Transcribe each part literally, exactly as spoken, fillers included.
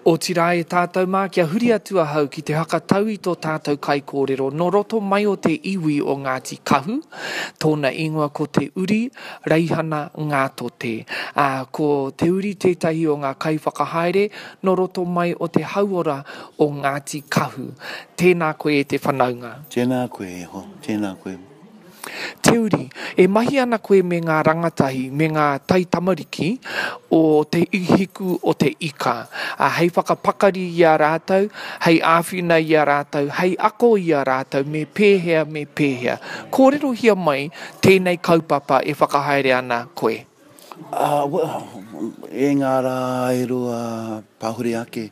Otirā e tātou mā, kia huri atu ahau ki te hakatau i tō tātou kaikōrero nō roto mai o te iwi o Ngāti Kahu, tōna ingoa ko Te Uri Reihana Ngātote. Ā, ko Te Uri tētahi o ngā kaiwhakahaere nō roto mai o te hauora o Ngāti Kahu. Tēnā koe e te whanaunga. Tēnā koe e hoa, tēnā koe. Te Uri, e mahi ana koe me ngā rangatahi, me ngā taitamariki o Te Hiku o te Ika, ā, hei whakapakari i a rātou, hei āwhina i a rātou, hei ako i a rātou me pēhea, me pēhea. Kōrerohia mai tēnei kaupapa e whakahaere ana koe. Ā, well, e ngā rā e rua pahuri ake,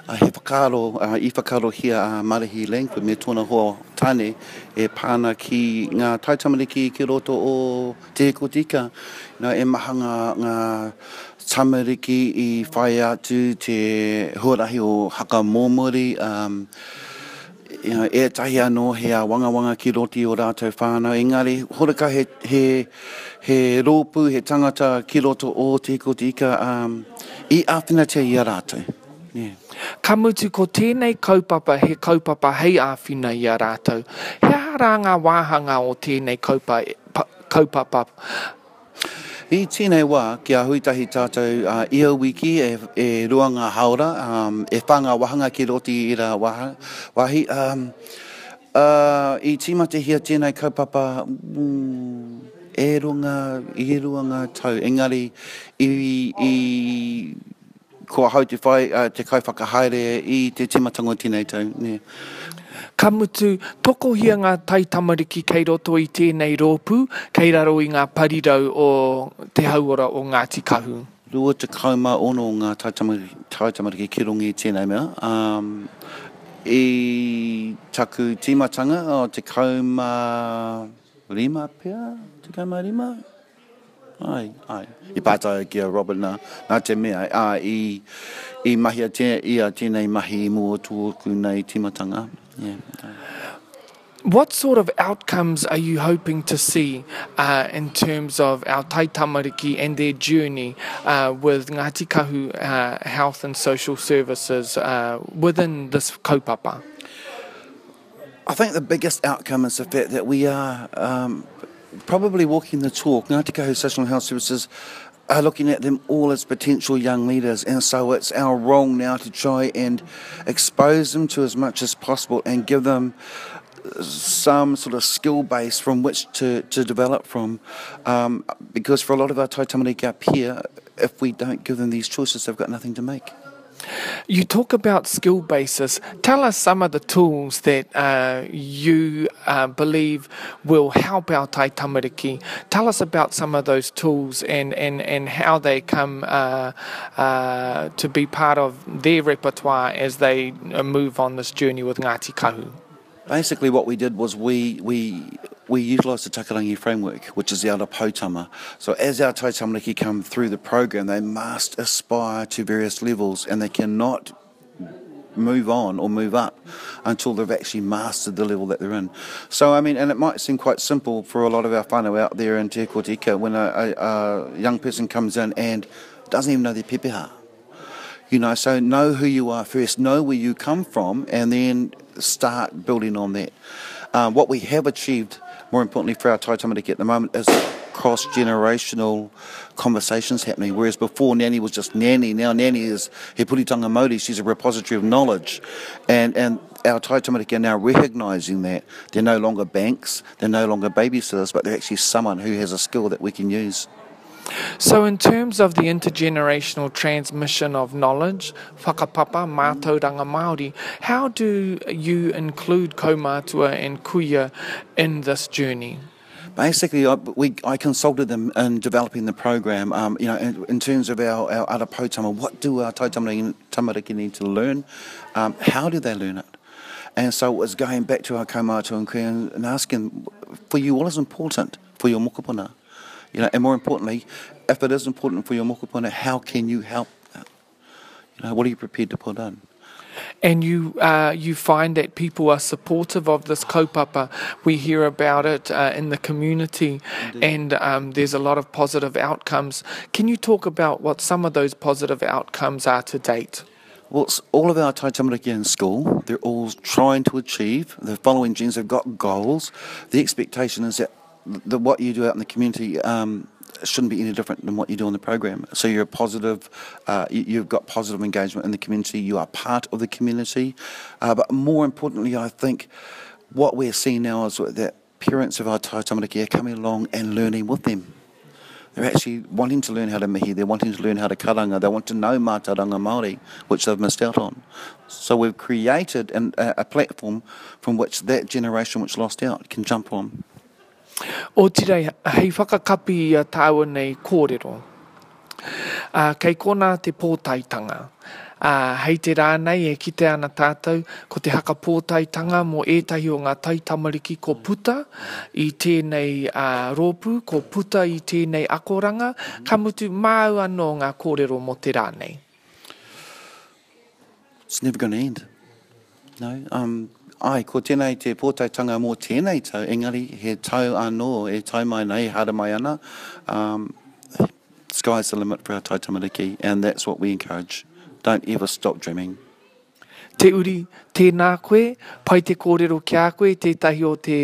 he whakaaro, i whakaarohia a Marihi Langford me tōna hoa tāne e pā ana ki ngā taitamariki ki roto o Te Hiku o Te Ika. You know, e maha ngā, ngā tamariki i whai atu te huarahi o Haka Mōmori, um, you know, ētahi anō he āwangawanga ki roto i ō rātou whānau, engari horekau he, he, he rōpū, he tangata ki roto o Te Hiku o Te Ika um, i āwhinatia i a rātou. Yeah. Ka mutu ko tēnei kaupapa he kaupapa hei āwhina i a rātou. He aha rā ngā wāhanga o tēnei kaupa, pa, kaupapa? I tēnei wā, kia hui tahi tātou uh, ia wiki e, e rua ngā haora, um, e whā ngā wāhanga ki roto i ērā wāha, wāhi. Um, uh, i tīmatahia tēnei kaupapa mm, e rua ngā, e rua ngā tau, engari i, i ko ahau te whai, uh, te kaiwhakahaere i te tīmatanga o tēnei tau. Yeah. Ka mutu, tokohia ngā taitamariki kei roto i tēnei rōpū, kei raro i ngā parirau o te hauora o Ngāti Kahu. Rua tekau mā ono ngā taitamariki, taitamariki ki runga i tēnei mea. Um, i taku tīmatanga, oh, tekau mā rima pea, tekau mā rima? Ai, ai. I pātai ki a Robert nā, nā te mea, ā, i, i mahia te, ia tēnei mahi i mua o tōku nei tīmatanga. Yeah. What sort of outcomes are you hoping to see uh, in terms of our taitamariki and their journey uh, with Ngāti Kahu uh, Health and Social Services uh, within this kaupapa? I think the biggest outcome is the fact that we are um, probably walking the talk. Ngāti Kahu Social and Health Services are looking at them all as potential young leaders, and so it's our role now to try and expose them to as much as possible and give them some sort of skill base from which to, to develop from. Um, because for a lot of our taitamariki up here, if we don't give them these choices, they've got nothing to make. You talk about skill basis. Tell us some of the tools that uh, you uh, believe will help our taitamariki. Tell us about some of those tools and, and, and how they come uh, uh, to be part of their repertoire as they uh, move on this journey with Ngāti Kahu. Basically what we did was we, we, we utilised the Takarangi framework, which is the Ara Poutama. So as our taitamariki come through the program, they must aspire to various levels, and they cannot move on or move up until they've actually mastered the level that they're in. So, I mean, and it might seem quite simple for a lot of our whānau out there in Te Hiku o Te Ika when a, a, a young person comes in and doesn't even know their pepeha. You know, so know who you are first, know where you come from, and then start building on that. Um, what we have achieved, more importantly for our taitamariki at the moment, is cross-generational conversations happening. Whereas before, Nanny was just Nanny. Now Nanny is he puritanga Māori. She's a repository of knowledge. And, and our taitamariki are now recognising that they're no longer banks, they're no longer babysitters, but they're actually someone who has a skill that we can use. So in terms of the intergenerational transmission of knowledge, whakapapa, mātauranga Māori, how do you include kaumātua and kuia in this journey? Basically, I, we, I consulted them in developing the program, um, you know, in, in terms of our, our ara poutama, what do our taitamariki, tamariki need to learn? Um, how do they learn it? And so it was going back to our kaumātua and kuia and, and asking, for you, what is important for your mokopuna? You know, and more importantly, if it is important for your mokopuna, how can you help? You know, what are you prepared to put in? And you, uh, you find that people are supportive of this kaupapa. We hear about it, uh, in the community. Indeed. And, um, there's a lot of positive outcomes. Can you talk about what some of those positive outcomes are to date? Well, all of our tai tamariki in school, they're all trying to achieve. They're following genes, they've got goals. The expectation is that the, what you do out in the community um, shouldn't be any different than what you do in the program. So you're a positive, uh, you, you've got positive engagement in the community, you are part of the community. Uh, but more importantly, I think what we're seeing now is that parents of our tai tamariki are coming along and learning with them. They're actually wanting to learn how to mihi, they're wanting to learn how to karanga, they want to know mātauranga Māori, which they've missed out on. So we've created an, a, a platform from which that generation which lost out can jump on. Otirā, hei whakakapi i a tāua nei kōrero. Uh, kei kona te pōtaetanga. Uh, hei te rā nei e kite ana tātou, ko te haka pōtaetanga mō ētahi o ngā taitamariki ko puta i tēnei uh, rōpū, ko puta i tēnei akoranga, ka mutu māu anō ngā kōrero mō te rā nei. It's never going to end. No, um, ai, ko tēnei te pōtaetanga mō tēnei tau, engari he tau anō e tau mai nei, haere mai ana. Um, sky's the limit for our tai tamariki, and that's what we encourage. Don't ever stop dreaming. Te Uri, tēnā koe, pai te kōrero ki a koe, tētahi o te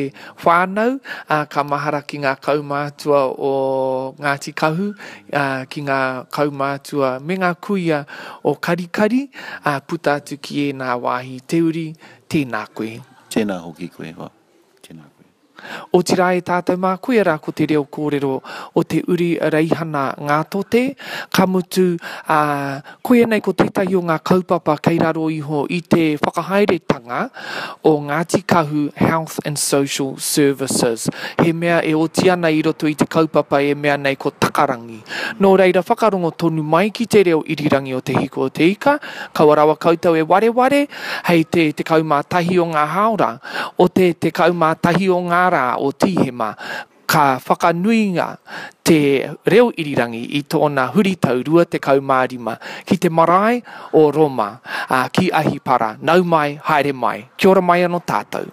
whānau, uh, ka mahara ki ngā kaumātua o Ngāti Kahu, uh, ki ngā kaumātua me ngā kuia o Karikari, uh, puta atu ki ēnā wāhi. Te Uri, tēnā koe. Tēnā hoki koe, hoa. Tēnā koe. Otirā e tātou mā, koia rā ko te reo kōrero o te Uri Reihana Ngātote, ka mutu, uh, koia nei ko tētahi o ngā kaupapa kei raro iho i te whakahaeretanga o Ngāti Kahu Health and Social Services. He mea e oti ana i roto i te kaupapa e mea nei ko Takarangi. Nō reira whakarongo tonu mai ki te reo irirangi o Te Hiku o Te Ika, kaua rawa koutou e wareware, hei te tekau mā tahi o ngā hāora, o te tekau mā tahi o ngā rā o Tīhema, ka whakanuinga te reo irirangi i tōna huritau rua tekau mā rima ki te marae o Roma, uh, ki Ahipara. Nau mai, haere mai. Kia ora mai anō tātou.